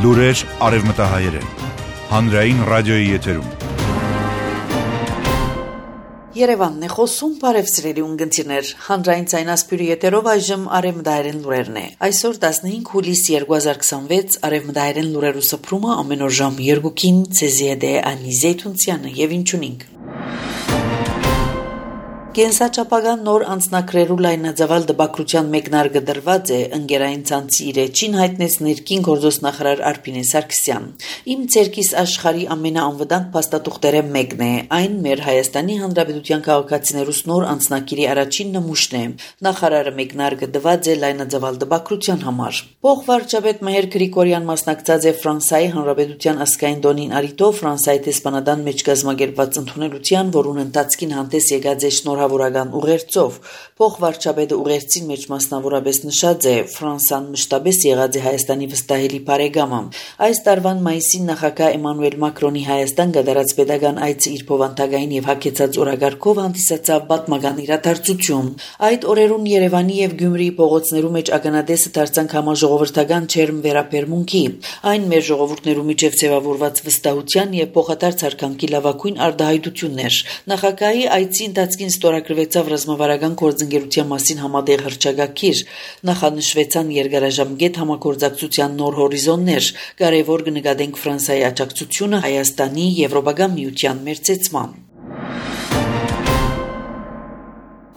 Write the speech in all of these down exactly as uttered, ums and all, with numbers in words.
Լուրեր արևմտահայերեն, հանրային ռադիոյի եթերում։ Երևանն է խոսում, բարև սիրելի ունգընտիրներ, հանրային ցայնասպյուրի եթերով այժմ արևմտահայերեն լուրերն է։ Այսօր տասնհինգ հուլիս երկուհազար քսանվեց արևմտահայերեն լուրերու սփռումը ամեն օր ժամ երկուքին ցեզի է Անի Զեյթունցյանը եւ ինչունինք։ Կենսաչափական նոր անձնակրերու լայնածավալ դպակրության մեկնարկը դրված է ընկերային ցանցի իր էջին հայտնեց ներքին գործոս նախարար Արփինե Սարգսյան։ Իմ ցերկիս աշխարհի ամենաանվտանգ փաստաթուղթերը մեկն է, այն մեր Հայաստանի Հանրապետության քաղաքացիներուս նոր անձնակիրի առաջին նմուշն է։ Նախարարը մեկնարկը դված է լայնածավալ դպակրության համար։ Փոխվարչապետ Մհեր Գրիգորյան մասնակցած է Ֆրանսիայի Հանրապետության ազգային տոնին արիտով Ֆրանսիայի տեսփանադան մեջ կազմակերպված ընդունելության, որուն ընթացքին հանդես եկած է շնորհավորական ուղերձով։ Փոխվարչապետը ուղերձին մեջ մասնավորապես նշած է Ֆրանսան մշտապես եղած է Հայաստանի վստահելի բարեկամը։ Այս տարվան մայիսին նախագահ Էմանուել Մակրոնի Հայաստան գդարած pedagogan այցը իր փոխանցագային եւ հագեցած օրագարկով հանդիսացավ պատմական իրադարձություն։ Այդ օրերուն Երևանի եւ Գյումրիի փողոցներու մեջ ականադեսը դարձանք համաժողովրդական չերմ վերապերմունքի։ Այն մեր ժողովուրդներու միջև ձևավորված վստահության եւ փոխադարձ հարկանքի լավագույն արտահայտություններ։ Նախագահի այցի ընթացքին ստորագրվեցավ ռազմավարական գործընկերության մասին համատեղ հռչակագիր, նախանշվեցան երկարաժամկետ համագործակցության նոր հորիզոններ, կարևոր կնկատենք Ֆրանսիայի աջակցությունը Հայաստանի Եվրոպական միության մերձեցման։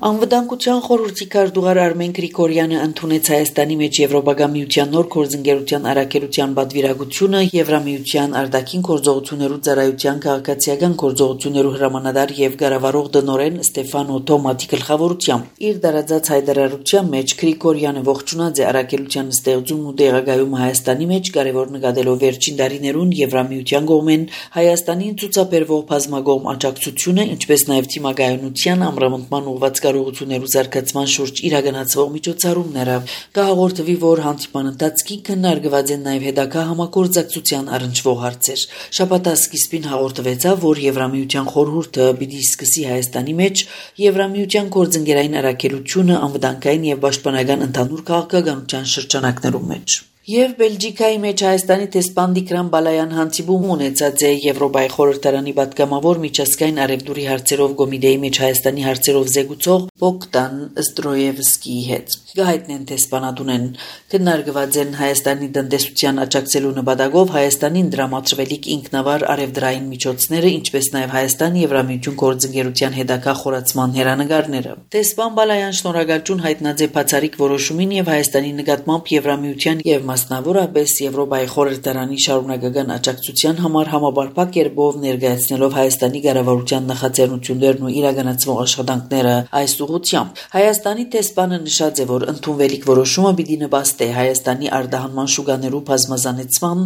Անվտանգության խորհրդի քարտուղար Արմեն Գրիգորյանը ընդունեց Հայաստանի մեջ Եվրոպական միության նոր գործընկերության առաքելության պատվիրակությունը Եվրամիության արտաքին գործողություններու ծառայության քաղաքացիական գործողություններու հրամանատար եւ ղեկավարող դնորեն Ստեֆանո Թոմատի գլխավորությամբ։ Իր դարաձած հայտարարության մեջ Գրիգորյանը ողջունած է առաքելության ստեղծումն ու տեղակայումը Հայաստանի մեջ, կարևոր նկատելով վերջին տարիներուն Եվրամիության կողմեն Հայաստանին ցուցաբերվող բազմակողմ աջակցությունը, ինչպես նաեւ թիմակայունության ամրապնդման ուղղված կարողություններու զարգացման շուրջ իրականացվող միջոցառումները։ Կհաղորդվի, որ հանդիպման ընթացքին քննարկված են նաև հետագա համագործակցության առնչվող հարցեր։ Շաբաթի սկիզբին հաղորդվեցավ, որ Եվրամիության խորհուրդը պիտի սկսի Հայաստանի մեջ Եվրամիության գործընկերային առաքելությունը անվտանգային եւ պաշտպանական ընդհանուր քաղաքականության շրջանակներում մեջ։ Եվ Բելգիկայի մեջ Հայաստանի տեսփան Տիգրան Բալայան հանդիպում ունեցած է Եվրոպայի խորհրդարանի պատգամավոր միջազգային արևդուրի հարցերով կոմիտեի մեջ Հայաստանի հարցերով զեկուցող Բոգդան Ստրոևսկիի հետ։ Գահիտնեն տեսփանադունեն քննարկված են Հայաստանի տնտեսության աջակցելու նպատակով Հայաստանին դրամատրվելիք ինքնավար արևդրային միջոցները, ինչպես նաև Հայաստան Եվրամիություն գործընկերության հետագա խորացման հերանեկարները։ Տեսփան Բալայան շնորհակալություն հայտնած է բացառիկ որոշումին եւ Հայաստանի նկատմամբ Եվրամիության եւ մասնավորապես Եվրոպայի խորհրդարանի շարունակական աջակցության համար համապարփակ կերպով ներկայացնելով Հայաստանի կառավարության նախաձեռնություններն ու իրականացվող աշխատանքները այս ուղղությամբ։ Հայաստանի տեսփանը նշած է, որ ընդունվելիք որոշումը պիտի նպաստի Հայաստանի արտահանման շուկաներու բազմազանեցման,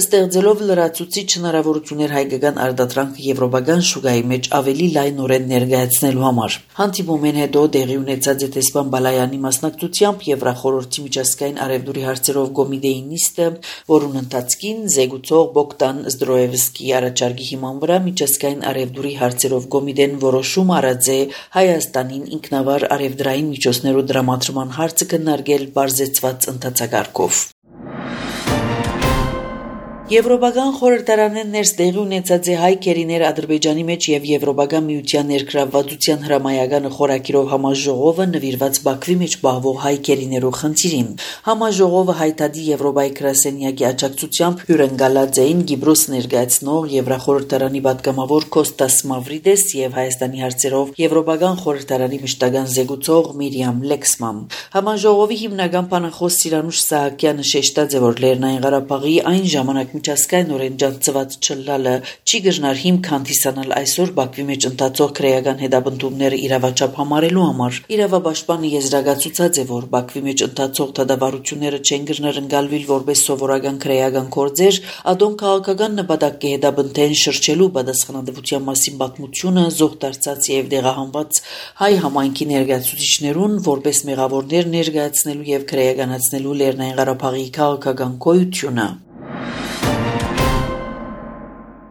ստեղծելով լրացուցիչ հնարավորություններ հայկական արտադրանքը եվրոպական շուկայի մեջ ավելի լայնորեն ներկայացնելու համար։ Հանդիպումեն հետո տեղի ունեցած է տեսփան Բալայանի մասնակցությամբ Եվրախորհրդի միջազգային արևդուրի հարցերով կոմիտեի նիստը, որուն ընթացքին զեկուցող Բոգդան Ստրոևսկիի առաջարկի հիման վրա միջազգային արևդուրի հարցերով կոմիտեն որոշում արած է Հայաստանին ինքնավար արևդրային միջոցներու դրամատրման հարցը քննարկել բարձեցված ընթացակարգով։ Եվրոպական խորհրդարանեն ներս տեղի ունեցած է հայ քերիներ Ադրբեջանի մեջ եւ Եվրոպական միության ներգրավվածության հրամայականը խորակիրով համաժողովը նվիրված Բաքվի մեջ պահվող հայ քերիներու խնդիրին։ Համաժողովը հայտարարի Եվրոպայի գրասենյակի աջակցությամբ հյուրընկալած էին Կիպրոս ներկայացնող Եվրախորհրդարանի պատգամավոր Կոստաս Մավրիդես եւ Հայաստանի հարցերով Եվրոպական խորհրդարանի մշտական զեկուցող Միրիամ Լեքսման։ Համաժողովի հիմնական բանախոս Սիրանուշ Սահակյանը շեշտած է, որ Լեռնային Ղարաբաղի այն ժամանակ միջազգայինորեն ջանցված չլալը չի գժնար հիմք հանդիսանալ այսօր Բաքվի մեջ ընթացող քրեական հետապնդումները իրավաչափ համարելու համար։ Իրավապաշտպանը եզրակացուցած է, որ Բաքվի մեջ ընթացող դատավարությունները չեն գժնար ընկալվել որպես սովորական քրեական գործեր, ադոն քաղաքական նպատակ է հետապնդեն շրջելու պատասխանատվության մասին պատմությունը զոհ դարձած եւ դեղահանված հայ համայնքի ներկայացուցիչներուն որպես մեղավորներ ներկայացնելու եւ քրեականացնելու Լեռնային Ղարաբաղի քաղաքական գոյությունը։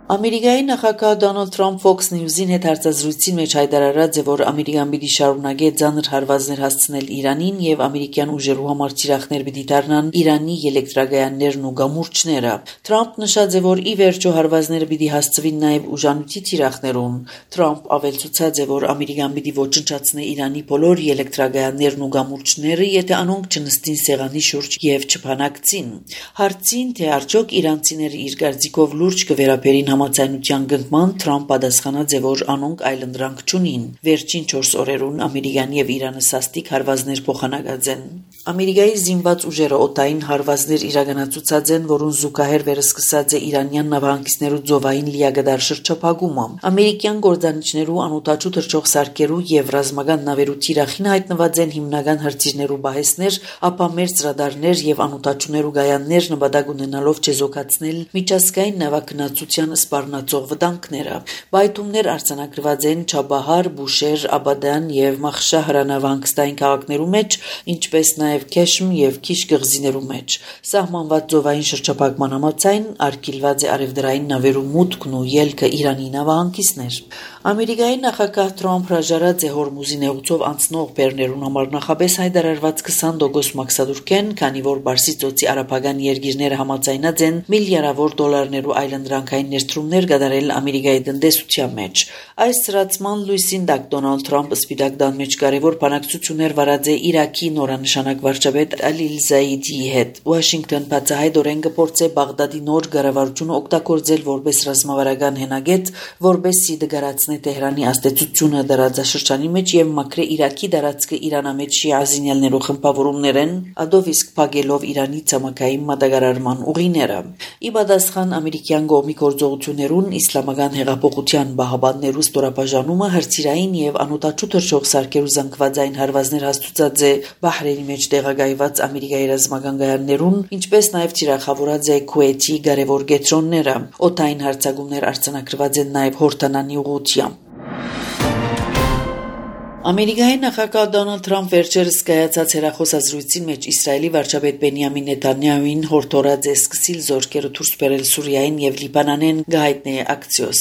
Ամերիկայի նախագահ Դոնալդ Թրամփ Fox News-ին հետ հարցազրույցի մեջ հայտարարած է, որ Ամերիկան պիտի շարունակի ծանր հարվածներ հասցնել Իրանին եւ ամերիկյան ուժերու համար թիրախներ պիտի դառնան Իրանի էլեկտրագայաններն ու գամուրջները։ Թրամփ նշած է, որ ի վերջո հարվածները պիտի հասցվին նաեւ ուժանույթի թիրախներուն։ Թրամփ ավելցուցած է, որ Ամերիկան պիտի ոչնչացնի Իրանի բոլոր էլեկտրագայաններն ու գամուրջները, եթե անոնք չնստին սեղանի շուրջ եւ չփանակցին։ Հարցին, թե արդյոք իրանցիները իր գարձիկով լուրջ կվերապերին համաձայնության գնման, Թրամփ պատասխանած է, որ անոնք այլընտրանք չունին։ Վերջին չորս օրերուն Ամերիկան եւ Իրանը սաստիկ հարվածներ փոխանակած են։ Ամերիկայի զինված ուժերը օտային հարվածներ իրականացուցած են, որոնց զուգահեռ վերսկսած է իրանյան նավահանգիստներու ծովային լիագդար շրջափակումը։ Ամերիկյան գործանիչներու անօտաչու թռչող սարքերու եւ ռազմական նավերու թիրախին հայտնված են հիմնական հրթիռներու բահեսներ, ապա մերձ ռադարներ եւ անօտաչուներու գայաններ նպատակ ունենալով չեզոքացնել միջազգային նավագնացության սպառնացող վտանգները։ Բայթումներ արձանագրված են Չաբահար, Բուշեր, Աբադան եւ Մախշա հրանավանգստային քաղաքներու մեջ, ինչպես նաեւ Քեշմ եւ Քիշ գղզիներու մեջ։ Սահմանված ծովային շրջափակման համաձայն արգելված է արևդրային նավերու մուտքն ու ելքը Իրանի նավահանգիստներ։ Ամերիկայի նախագահ Թրամփ հրաժարած է Հորմուզի նեղուցով անցնող բեռներուն համար նախապես հայտարարված քսան տոկոս մաքսադուրքեն, քանի որ Պարսից ծոցի արաբական երկիրները համաձայնած են միլիարդավոր դոլարներու այլընտրանքային ներդրումներ կատարել Ամերիկայի տնտեսության մեջ։ Այս սրացման լույսին տակ Դոնալդ Թրամփը Սպիտակ տան մեջ կարևոր բանակցություններ վարած է Իրաքի նորանշանակ վարչապետ Ալիլ Զայիդիի հետ։ Վաշինգտոն բացահայտորեն կփորձե Բաղդադի նոր կառավարությունը օգտագործել որպես ռազմավարական հենագետ, որպեսզի դգարացնի Թեհրանի աստեցությունը դարաձաշրջանի մեջ եւ մաքրե Իրաքի դարածքը Իրանամեջ շիազինյալներու խմբավորումներեն, ադով իսկ փակելով Իրանի ցամաքային մատակարարման ուղիները։ Ի պատասխան ամերիկյան կողմի գործողություններուն իսլամական հեղափոխության բահաբաններու ստորաբաժանումը հրթիռային եւ անօտաչու թռչող սարքերու զանգվածային հարվածներ հաստուցած է Բահրեյնի մեջ տեղակայված Ամերիկայի ռազմական գայաններուն, ինչպես նաեւ թիրախավորած է Քուեյթի կարևոր կետրոնները։ Օդային հարձակումներ արձանագրված են նաեւ Հորդանանի ուղղությամբ։ Ամերիկայի նախագահ Դոնալդ Թրամփ վերջերս կայացած հեռախոսազրույցի մեջ Իսրայելի վարչապետ Բենյամին Նեթանյահուին հորդորած է սկսիլ զորքերը դուրս բերել Սուրիային եւ Լիբանանեն գահիտնի ակցիոս։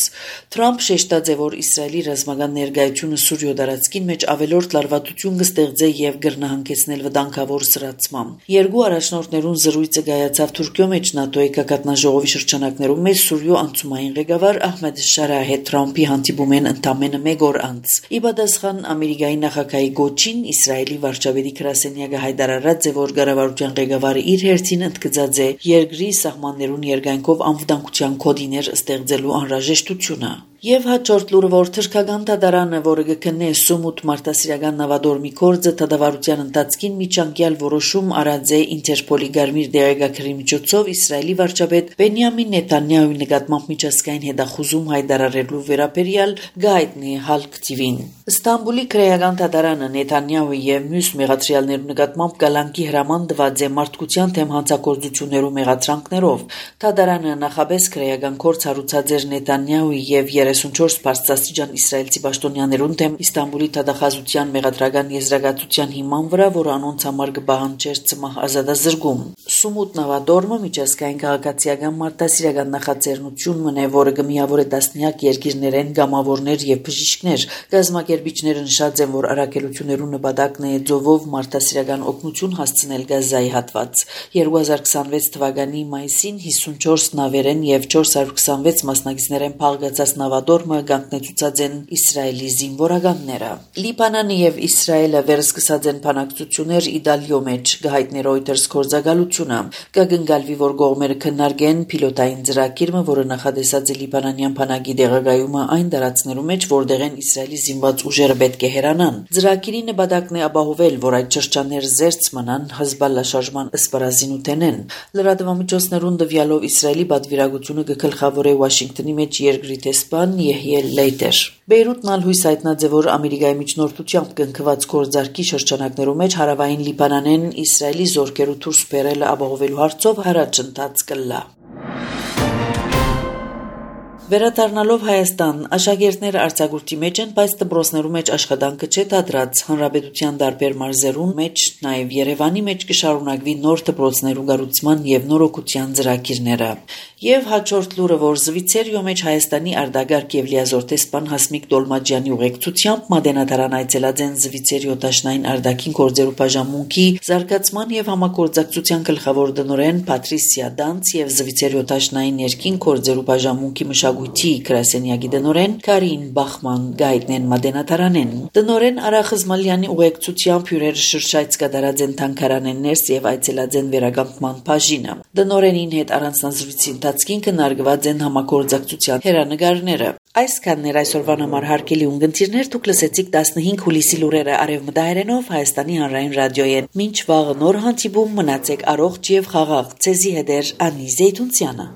Թրամփ շեշտած է, որ Իսրայելի ռազմական ներկայությունը Սուրիո դարածքին մեջ ավելորդ լարվածություն կստեղծե եւ կգրնահանգեցնել վտանգավոր սրացմամբ։ Երկու առաջնորդներուն զրույցը կայացավ Թուրքիո մեջ ՆԱՏՕ-ի կակատնաժողովի շրջանակներում մեջ Սուրիո անցումային ղեկավար Ահմեդ Շարահ հետ Թրամփի հանդիպում են ընդամենը մեկ օր անց։ Ի պատասխան Ամերիկայի նախագահի գոչին Իսրայելի վարչապետի գրասենյակը հայտարարած է, որ կառավարության ղեկավարը իր հերթին ընդգծած է երկրի սահմաններուն երկայնքով անվտանգության կոդիներ ստեղծելու անհրաժեշտությունը։ Եվ հաջորդ լուրը, որ թրքական դատարանը, որը կքննի Սումուտ մարտահրավերական նավադորմի գործը, դատավարության ընթացքին միջանկյալ որոշում արած է Ինտերպոլի գարմիր դեղեկագրի միջոցով Իսրայելի վարչապետ Բենյամին Նեթանյահուի նկատմամբ միջազգային հետախուզում հայտարարելու վերաբերյալ գայտնի Հալկ Թի վին։ Ստամբուլի քրեական դատարանը Նեթանյահուի եւ մյուս մեղադրյալներու նկատմամբ կալանքի հրաման տված է մարդկության թեմ հանցագործություններու մեղադրանքներով։ Դատարանը նախապես քրեական գործ հարուցած էր Նեթանյահուի եւ երեսունչորս բարձրաստիճան իսրայելցի պաշտոնյաներուն դեմ Իստանբուլի դատախազության մեղադրական եզրակացության հիման վրա, որ անոնց համար կպահանջեր ցմահ ազատազրկում։ Սումուտ նավադորմը միջազգային քաղաքացիական մարտահրավերական նախաձեռնություն մնե, որը կմիավորե տասնյակ երկիրներեն գամավորներ եւ բժիշկներ։ Գազམ་ակերպիչները նշած են, որ առաքելություններու նպատակն է ձովով մարտահրավերական օգնություն հասցնել Գազայի հատված։ երկու հազար քսանվեց թվականի մայիսին հիսունչորս նավերեն եւ չորս հարյուր քսանվեց մասնակիցներեն փաղկացած նավադորմը կանգնեցուցած են Իսրայելի զինվորականները։ Լիբանանը եւ Իսրայելը վերսկսած են բանակցություններ Իտալիո մեջ գահիտնի Reuters գործակալությունը։ Կգնկալվի, որ կողմերը քննարկեն պիլոտային ծրագիրը, որը նախադեсած է լիբանանյան բանակի դեղագայումը այն դարածներու մեջ, որտեղ են Իսրայելի զինված ուժերը պետք է հեռանան։ Ծրագիրի նպատակն է ապահովել, որ այդ շրջաններ զերծ մնան Հեզբալլա շարժման ըսպարազինութենեն։ Լրատվամիջոցներուն տվյալով Իսրայելի պատվիրակությունը կգլխավորե Վաշինգտոնի մեջ երկրի տեսփան Եհիել Լեյտեր։ Բեյրութն ալ հույս հայտնած է, որ Ամերիկայի միջնորդությամբ կնքված գործարքի շրջանակներու մեջ հարավային Լիբանանեն Իսրայելի զորքերու դուրս բերելը ապահովելու հարցով առաջընթաց կլա։ Վերադառնալով Հայաստան, աշակերտները արձակուրդի մեջ են, բայց դպրոցներու մեջ աշխատանքը չէ դադրած, հանրապետության տարբեր մարզերուն մեջ, նաև Երևանի մեջ կշարունակվի նոր դպրոցներու կառուցման եւ նորոգության ծրագիրները։ Եվ հաջորդ լուրը, որ Զվիցերիո մեջ Հայաստանի արտագաղթ եւ լիազոր տեսփան Հասմիկ Դոլմաջյանի ուղեկցությամբ Մատենադարան այցելած են Զվիցերիո դաշնային արտաքին գործերու բաժանմունքի զարգացման եւ համագործակցության գլխավոր տնօրեն Պատրիսիա Դանց եւ Զվիցերիո դաշնային ներքին գործերու բաժանմունքի մշակույթի գրասենյակի տնօրեն Կարին Բախման գայտնեն Մատենադարանեն։ Տնօրեն Արա Խզմալյանի ուղեկցությամբ հյուրերը շրջայց կատարած են թանգարանեն ներս եւ այցելած են վերականգնման բաժինը։ Տնօրենին հետ առանձնազրույցի ընթացքին կնարգված են համագործակցության հերանեկարները։ Այսքանն էր այսօրվան համար հարգելի ունգընտիրներ, դուք լսեցիք տասնհինգ հուլիսի լուրերը արևմտահայերենով Հայաստանի հանրային ռադիոյեն։ Մինչ վաղը նոր հանդիպում, մնացեք առողջ եւ խաղաղ։ Ցեզի հետ էր Անի Զեյթունցյանը։